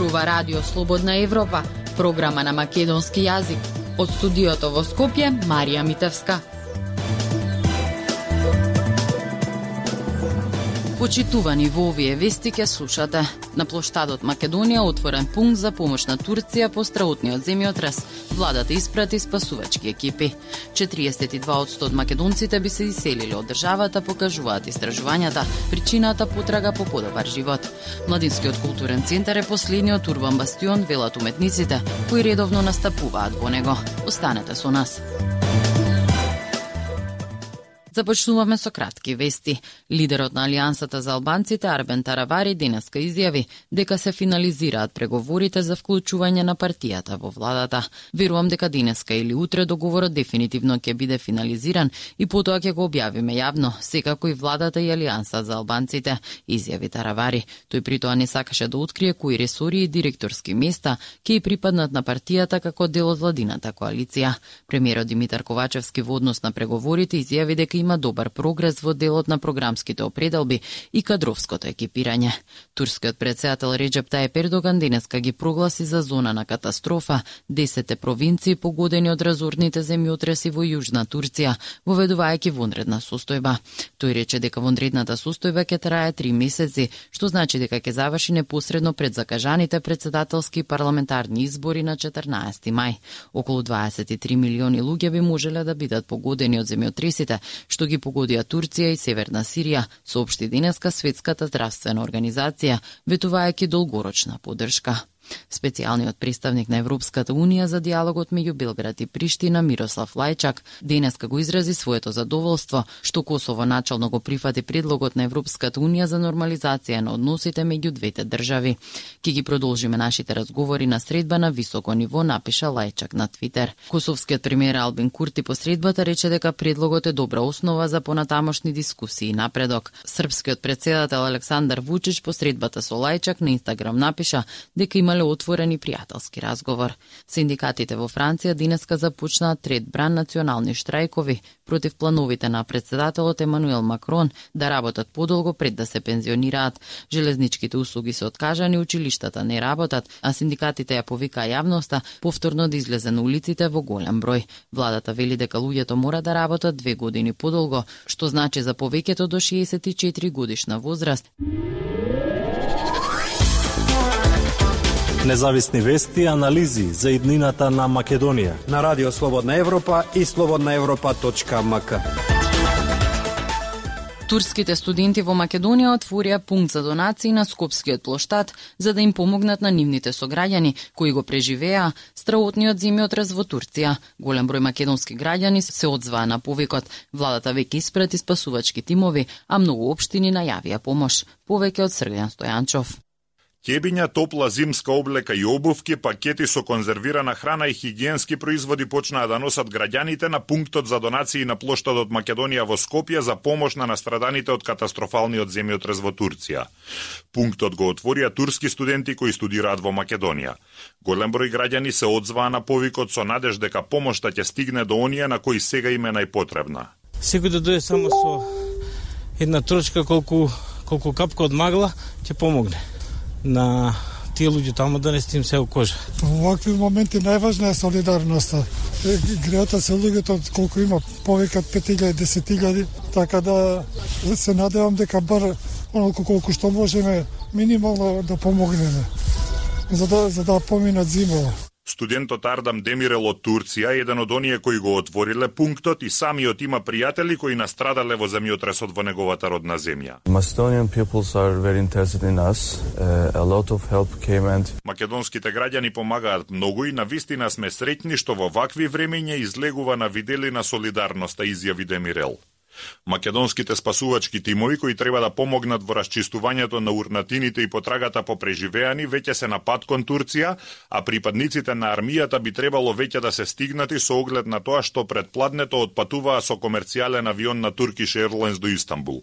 зборува Радио Слободна Европа, програма на македонски јазик. Од студиото во Скопје, Марија Митевска. Почитувани, во овие вести ќе слушате. На плоштадот Македонија отворен пункт за помош на Турција по страутниот земјотрес. Владата испрати спасувачки екипи. 42% од македонците би се иселиле од државата, покажуваат истражувањата. Причината потрага по подобар живот. Младинскиот културен центар е последниот урбан бастион, велат уметниците, кои редовно настапуваат во него. Останете со нас. Започнуваме со кратки вести. Лидерот на Алијансата за албанците Арбен Таравари денеска изјави дека се финализираат преговорите за вклучување на партијата во владата. Верувам дека денеска или утре договорот дефинитивно ќе биде финализиран и потоа ќе го објавиме јавно, секако и владата и Алијанса за албанците, изјави Таравари. Тој притоа не сакаше да открие кои ресори и директорски места ќе припаднат на партијата како дел од владината коалиција. Премиерот Димитар Ковачевски во однос на преговорите изјави дека има добар прогрес во делот на програмските определби и кадровското екипирање. Турскиот претседател Реджеп Тајип Ердоган денеска ги прогласи за зона на катастрофа 10 провинции погодени од разорните земјотреси во Јужна Турција, воведувајќи вонредна состојба. Тој рече дека вонредната состојба ќе трае 3 месеци, што значи дека ќе заврши непосредно пред закажаните претседателски и парламентарни избори на 14 мај. Околу 23 милиони луѓе би можеле да бидат погодени од земјотресите, што ги погодија Турција и Северна Сирија, соопшти денеска Светската здравствена организација, ветувајќи долгорочна поддршка. Специјалниот представник на Европската Унија за диалогот меѓу Белград и Приштина Мирослав Лајчак денеска го изрази своето задоволство што Косово начално го прифати предлогот на Европската Унија за нормализација на односите меѓу двете држави. Ки ги продолжиме нашите разговори на средба на високо ниво, напиша Лајчак на Твитер. Косовскиот премиер Албин Курти по средбата рече дека предлогот е добра основа за понатамошни дискусии и напредок. Српскиот претседател Александар Вучич по средбата со Лајчак на Инстаграм напиша дека имале отворен и пријателски разговор. Синдикатите во Франција денеска започнаа трет бран национални штрајкови против плановите на претседателот Емануел Макрон да работат подолго пред да се пензионираат. Железничките услуги се откажани, училиштата не работат, а синдикатите ја повикаа јавноста повторно да излезе на улиците во голем број. Владата вели дека луѓето мора да работат 2 години подолго, што значи за повеќето до 64 годишна возраст. Независни вести и анализи за иднината на Македонија на Радио Слободна Европа и slobodnaevropa.mk. Турските студенти во Македонија отворија пункт за донации на Скопскиот плоштад за да им помогнат на нивните сограѓани кои го преживеа страутниот земјотрес во Турција. Голем број македонски граѓани се одзваа на повикот. Владата веќе испрати спасувачки тимови, а многу општини најавија помош. Повеќе од Сргјан Стојанчов. Ќебиња, топла зимска облека и обувки, пакети со конзервирана храна и хигиенски производи почнаа да носат граѓаните на пунктот за донации на плоштадот Македонија во Скопје за помош на настраданите од катастрофалниот земјотрес во Турција. Пунктот го отворија турски студенти кои студираат во Македонија. Голем број граѓани се одзваа на повикот со надеж дека помошта ќе стигне до оние на кои сега им е најпотребна. Секој да дојде само со една трошка колку капка од магла ќе помогне на тие луѓе таму да не стим се кожа. Во вакви моменти најважна е солидарноста. Греата се луѓето колку има повеќе од 5.000, 10.000, така да се надевам дека бар оноко колку што можеме минимално да помогнеме за да поминат зимова. Студентот Ардам Демирел од Турција е еден од оние кои го отвориле пунктот и самиот има пријатели кои настрадале во земјотресот во неговата родна земја. Macedonian peoples are very interested in us. A lot of help came and Македонските граѓани помагаат многу и навистина сме среќни што во вакви времења излегува на видели на солидарноста, изјави Демирел. Македонските спасувачки тимови кои треба да помогнат во расчистувањето на урнатините и потрагата по преживеани веќе се на пат кон Турција, а припадниците на армијата би требало веќе да се стигнати со оглед на тоа што предпладнето отпатуваа со комерцијален авион на Turkish Airlines до Истанбул.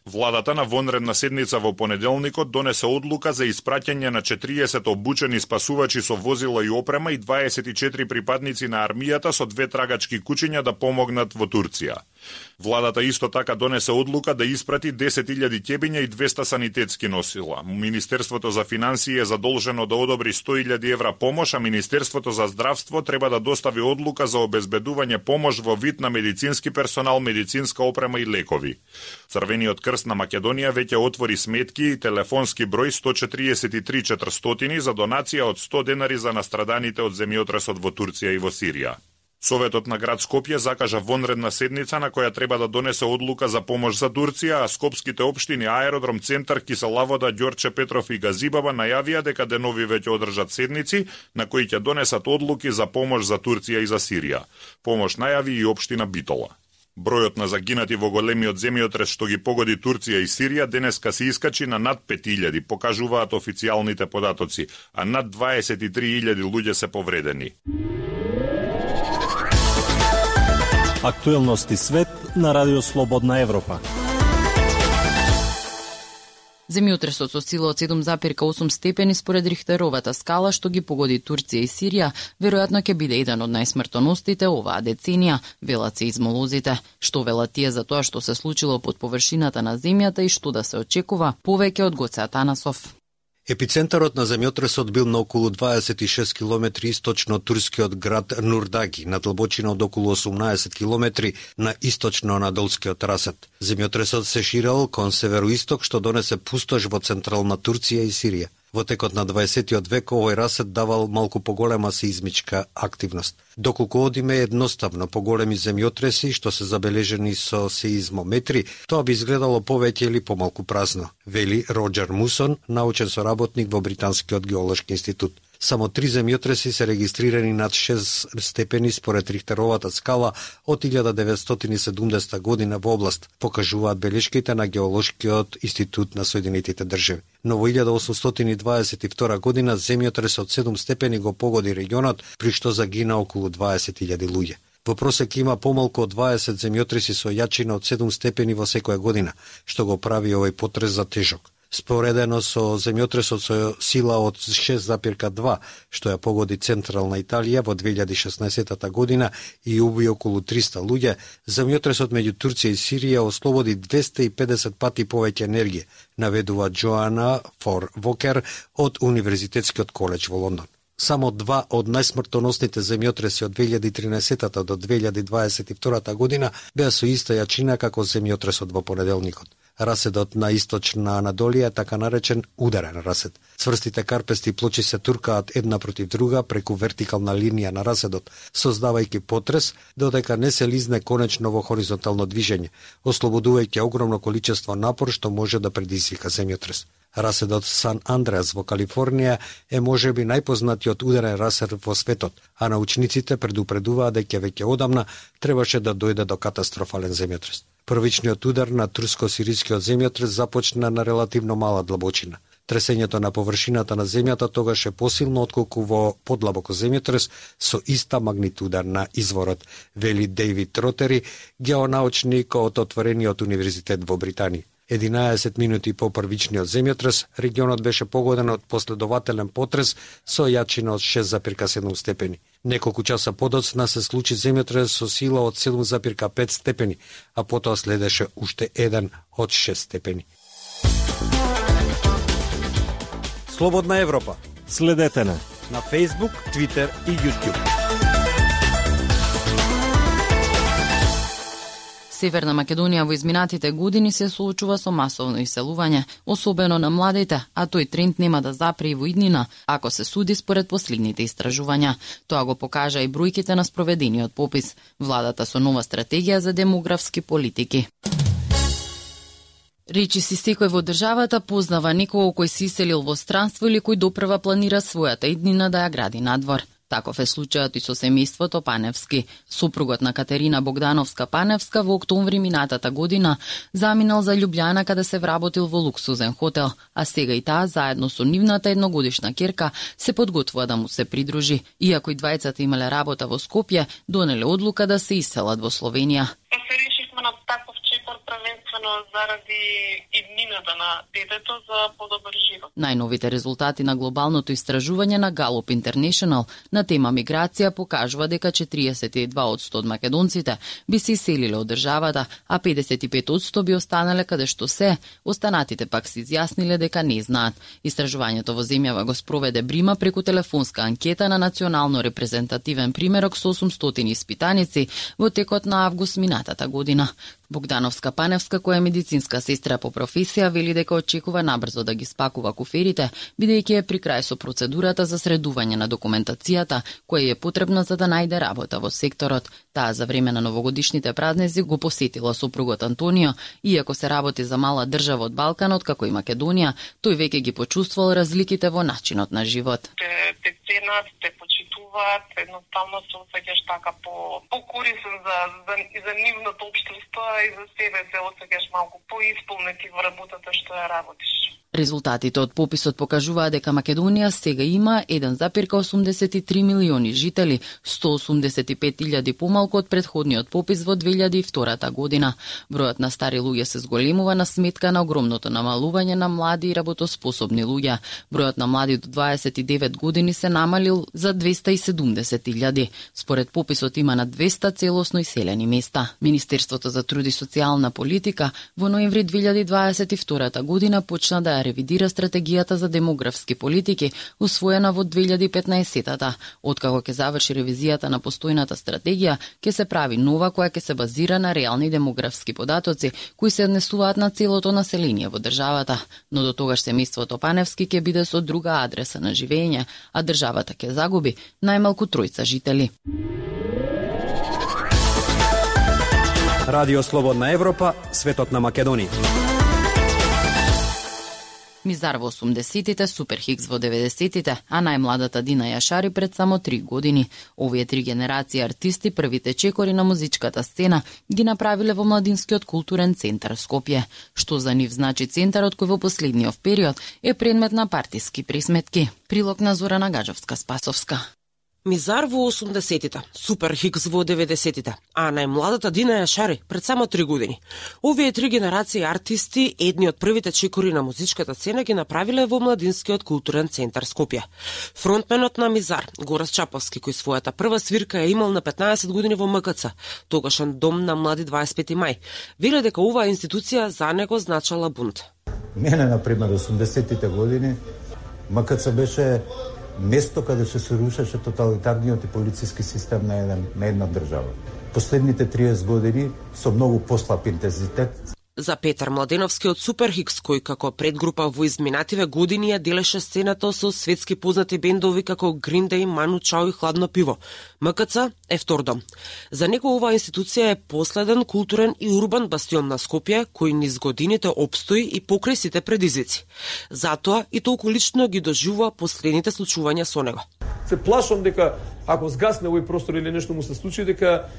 Владата на вонредна седница во понеделникот донесе одлука за испраќање на 40 обучени спасувачи со возила и опрема и 24 припадници на армијата со 2 трагачки кучиња да помогнат во Турција. Владата исто така донесе одлука да испрати 10.000 ќебиња и 200 санитетски носила. Министерството за финансии е задолжено да одобри 100.000 евра помош, а Министерството за здравство треба да достави одлука за обезбедување помош во вид на медицински персонал, медицинска опрема и лекови. Црвениот крст на Македонија веќе отвори сметки и телефонски број 143 400 за донација од 100 денари за настраданите од земјотресот во Турција и во Сирија. Советот на град Скопје закажа вонредна седница на која треба да донесе одлука за помош за Турција, а скопските општини Аеродром, Центар, Киселавода, Ѓорче Петров и Газибаба најавија дека денови веќе одржат седници на кои ќе донесат одлуки за помош за Турција и за Сирија. Помош најави и општина Битола. Бројот на загинати во големиот земјотрес што ги погоди Турција и Сирија денеска се искачи на над 5.000, покажуваат официјалните податоци, а над 23.000 луѓе се повредени. Актуелности свет на Радио Слободна Европа. Земјотресот со сила од 7,8 степени според Рихтеровата скала што ги погоди Турција и Сирија, веројатно ќе биде еден од најсмртоносните оваа деценија, велат сеизмолозите. Што велат тие за тоа што се случило под површината на земјата и што да се очекува, повеќе од Гоце Атанасов. Епицентарот на земјотресот бил на околу 26 километри источно од турскиот град Нурдаги, на длабочина од околу 18 километри на источно Анадолскиот расет. Земјотресот се ширел кон североисток, што донесе пустош во централна Турција и Сирија. Во текот на 20 век овој расет давал малку поголема сеизмичка активност. Доколку одиме едноставно поголеми земјотреси што се забележени со сеизмометри, тоа би изгледало повеќе или помалку празно, вели Роџер Мусон, научен соработник во Британскиот геолошки институт. Само 3 земјотреси се регистрирани над 6 степени според Рихтеровата скала од 1970 година во област, покажуваат белешките на Геолошкиот институт на Соединетите држави. Но во 1822 година земјотрес од 7 степени го погоди регионот, при што загина околу 20.000 луѓе. Во просек има помалку од 20 земјотреси со јачина од 7 степени во секоја година, што го прави овој потрес за тежок. Споредено со земјотресот со сила од 6,2, што ја погоди централна Италија во 2016 година и уби околу 300 луѓе, земјотресот меѓу Турција и Сирија ослободи 250 пати повеќе енергија, наведува Джоана Фор Вокер од Универзитетскиот коледж во Лондон. Само 2 од најсмртоносните земјотреси од 2013 до 2022 година беа со иста јачина како земјотресот во понеделникот. Раседот на источна Анадолија е така наречен ударен расед. Цврстите карпести плочи се туркаат една против друга преку вертикална линија на раседот, создавајќи потрес, додека не се лизне конечно во хоризонтално движење, ослободувајќи огромно количество напор што може да предизвика земјотрес. Раседот Сан Андреас во Калифорнија е можеби најпознатиот ударен расед во светот, а научниците предупредуваат дека веќе одамна требаше да дојде до катастрофален земјотрес. Првичниот удар на турско-сирискиот земјотрес започна на релативно мала длабочина. Тресењето на површината на земјата тогаш е посилно отколку во подлабоко земјотрес со иста магнитуда на изворот, вели Дејвид Ротери, геонаучник од отворениот универзитет во Британија. 11 минути по првичниот земјотрес, регионот беше погоден од последователен потрес со јачина од 6,7 степени. Неколку часа подоцна се случи земјотрес со сила од 7,5 степени, а потоа следеше уште еден од 6 степени. Слободна Европа. Следете на Facebook, Twitter и YouTube. Северна Македонија во изминатите години се соочува со масовно иселување, особено на младите, а тој тренд нема да запре и во иднина, ако се суди според последните истражувања. Тоа го покажа и бројките на спроведениот попис. Владата со нова стратегија за демографски политики. Речиси секој во државата познава некого кој се иселил во странство или кој допрва планира својата иднина да ја гради надвор. Таков е случајот и со семејството Паневски. Супругот на Катерина Богдановска Паневска во октомври минатата година заминал за Љубљана каде се вработил во луксузен хотел, а сега и таа заедно со нивната едногодишна ќерка се подготвува да му се придружи. Иако и двајцата имале работа во Скопје, донеле одлука да се иселат во Словенија. Се решивме на таков чекор првенствено едноставно заради иднината на детето за подобар живот. Најновите резултати на глобалното истражување на Gallup International на тема миграција покажува дека 42% од македонците би се иселиле од државата, а 55% би останале каде што се, останатите пак се изјасниле дека не знаат. Истражувањето во земјава го спроведе Брима преку телефонска анкета на национално репрезентативен примерок со 800 испитаници во текот на август минатата година. Богдановска Паневска, која е медицинска сестра по професија, вели дека очекува набрзо да ги спакува куферите, бидејќи е при крај со процедурата за средување на документацијата, која е потребна за да најде работа во секторот. Таа за време на новогодишните празници го посетила сопругот Антонио, иако се работи за мала држава од Балканот, како и Македонија, тој веќе ги почувствувал разликите во начинот на живот. Те ценат, те почитуваат, едноставно се осеќаш така по-корисен за нивното општество и за себе се осеќаш малку поисполнети во работата што ја работиш. Резултатите од пописот покажуваат дека Македонија сега има 1,83 милиони жители, 185.000 помалку од претходниот попис во 2002 година. Бројот на стари луѓе се зголемува на сметка на огромното намалување на млади и работоспособни луѓе. Бројот на млади до 29 години се намалил за 270.000. Според пописот има на 200 целосно иселени места. Министерството за труд и социјална политика во ноември 2022 година почна да ревидира стратегијата за демографски политики, усвоена во 2015-та. Откако ќе заврши ревизијата на постојната стратегија, ќе се прави нова која ќе се базира на реални демографски податоци, кои се однесуваат на целото население во државата. Но до тогаш семејството Паневски ќе биде со друга адреса на живење, а државата ќе загуби најмалку 3 жители. Радио Слободна Европа, светот на Македонија. Мизар во 80-тите, Супер Хикс во 90-тите, а најмладата Дина Јашари пред само 3 години. Овие 3 генерации артисти, првите чекори на музичката сцена, ги направиле во Младинскиот културен центар Скопје. Што за нив значи центарот кој во последниот период е предмет на партиски присметки. Прилог на Зорана Гаджовска-Спасовска. Мизар во 80-тите, Супер Хикс во 90-тите, а најмладата Дина Јашари пред само 3 години. Овие 3 генерации артисти, едни од првите чекори на музичката сцена, ги направиле во Младинскиот културен центар Скопје. Фронтменот на Мизар, Горас Чаповски, кој својата прва свирка ја имал на 15 години во МКЦ, тогашен дом на млади 25 мај, вели дека оваа институција за него значала бунт. Мене, например, 80-тите години, МКЦ беше место каде се рушеше тоталитарниот и полициски систем на една држава. Последните 30 години со многу послаб интензитет. За Петар Младеновски од Супер Хикс, кој како предгрупа во изминативе години ја делеше сцената со светски познати бендови како Green Day, Ману Чао и Хладно пиво, МКЦ е втор дом. За него оваа институција е последен културен и урбан бастион на Скопје, кој низ годините опстои и покрај сите предизвици. Затоа и толку лично ги доживува последните случувања со него. Се плашам дека ако згасне овој простор или нешто му се случи, дека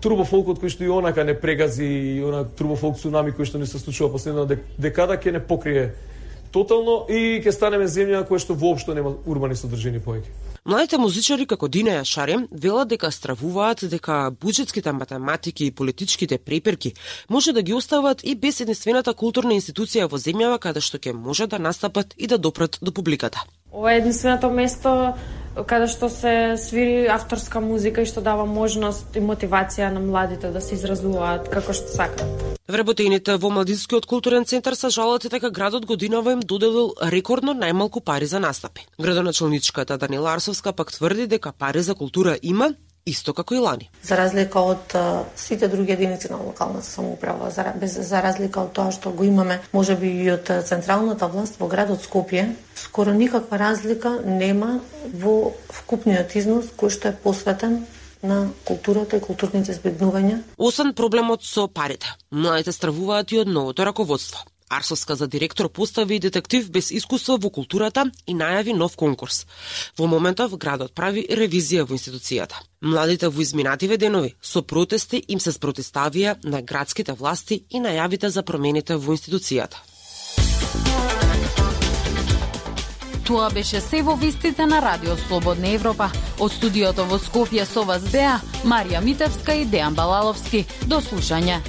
турбофолкот кој што и онака не прегази, и она турбофолк цунами кој што не се случува последната декада ќе не покрие тотално и ќе станеме земја која што воопшто нема урбани содржини повеќе. Младите музичари како Дина Јашари велат дека стравуваат дека буџетските математики и политичките преперки може да ги остават и без единствената културна институција во земјава каде што ќе може да настапат и да допрат до публиката. Ова е единственото место каде што се свири авторска музика и што дава можност и мотивација на младите да се изразуваат како што сакаат. Вработените во Младинскиот културен центар се жалат дека градот годинава им доделил рекордно најмалку пари за настапи. Градоначалничката Данила Арсовска пак тврди дека пари за култура има, исто како и лани. За разлика од сите други единици на локалната самоуправа, за разлика од тоа што го имаме, можеби и од централната власт во градот Скопје, скоро никаква разлика нема во вкупниот износ кој што е посветен на културата и културните збеднувања. Освен проблемот со парите, младите стравуваат и од новото раководство. Арсовска за директор постави детектив без искуство во културата и најави нов конкурс. Во моментов градот прави ревизија во институцијата. Младите во изминативе денови со протести им се спротивставија на градските власти и најавите за промените во институцијата. Тоа беше се во вестите на Радио Слободна Европа. Од студиото во Скопје со вас беа Марија Митевска и Дејан Балаловски. До слушање.